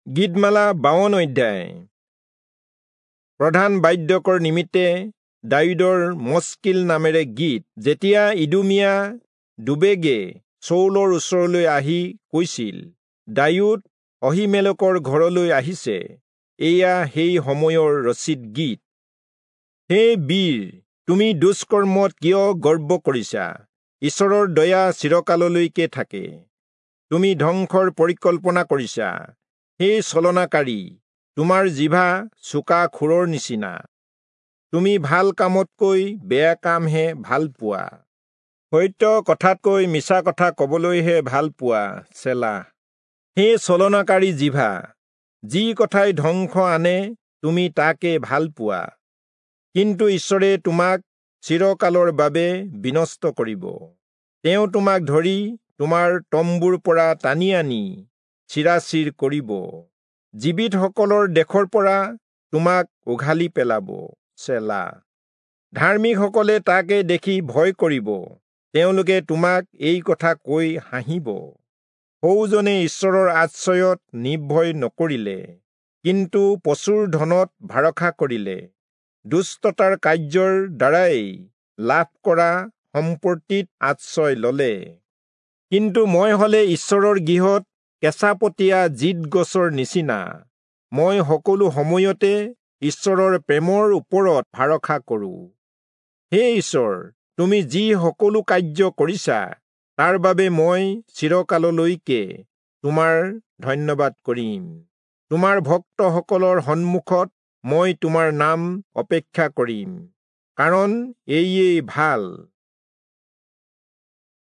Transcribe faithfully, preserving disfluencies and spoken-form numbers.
গীতমালা বাৱন অধ্যায়। প্ৰধান বাদ্যকৰ নিমিত্তে দায়ূদৰ মস্কিল নামেৰে গীত। যেতিয়া ইদুমিয়া দুবেগে চৌলৰ ওচৰলৈ আহি কৈছিল, দায়ূদ অহীমেলকৰ ঘৰলৈ আহিছে, এয়া সেই সময়ৰ ৰচিত গীত। হে বীৰ, তুমি দুষ্কৰ্মত কিয় গৰ্ব কৰিছা? ঈশ্বৰৰ দয়া চিৰকাললৈকে থাকে। তুমি ধ্বংসৰ পৰিকল্পনা কৰিছা। হে ছলনাকাৰী, তোমাৰ জিভা চোকা খুৰৰ নিচিনা। তুমি ভাল কামতকৈ বেয়া কামহে ভাল পোৱা, সত্য কথাতকৈ মিছা কথা কবলৈহে ভাল পোৱা। চেলা। হে ছলনাকাৰী জিভা, যি কথাই ধ্বংস আনে তুমি তাকে ভাল পোৱা। কিন্তু ঈশ্বৰে তোমাক চিৰকালৰ বাবে বিনষ্ট কৰিব। তেওঁ তোমাক ধৰি তোমাৰ তম্বুৰ পৰা টানি আনি চিৰাচিৰ কৰিব। জীৱিতসকলৰ দেশৰ পৰা তোমাক উঘালি পেলাব। চেলা। ধাৰ্মিকসকলে তাকে দেখি ভয় কৰিব। তেওঁলোকে তোমাক এই কথা কৈ হাঁহিব। সৌজনে ঈশ্বৰৰ আশ্ৰয়ত নিৰ্ভয় নকৰিলে, কিন্তু প্ৰচুৰ ধনত ভৰসা কৰিলে। দুষ্টতাৰ কাৰ্যৰ দ্বাৰাই লাভ কৰা সম্পত্তিত আশ্ৰয় ললে। কিন্তু মই হলে ঈশ্বৰৰ গৃহত কেঁচাপতীয়া জিত গছৰ নিচিনা। মই সকলো সময়তে ঈশ্বৰৰ প্ৰেমৰ ওপৰত ভৰসা কৰোঁ। হে ঈশ্বৰ, তুমি যি সকলো কাৰ্য কৰিছা, তাৰ বাবে মই চিৰকাললৈকে তোমাৰ ধন্যবাদ কৰিম। তোমাৰ ভক্তসকলৰ সন্মুখত মই তোমাৰ নাম অপেক্ষা কৰিম, কাৰণ এয়েই ভাল।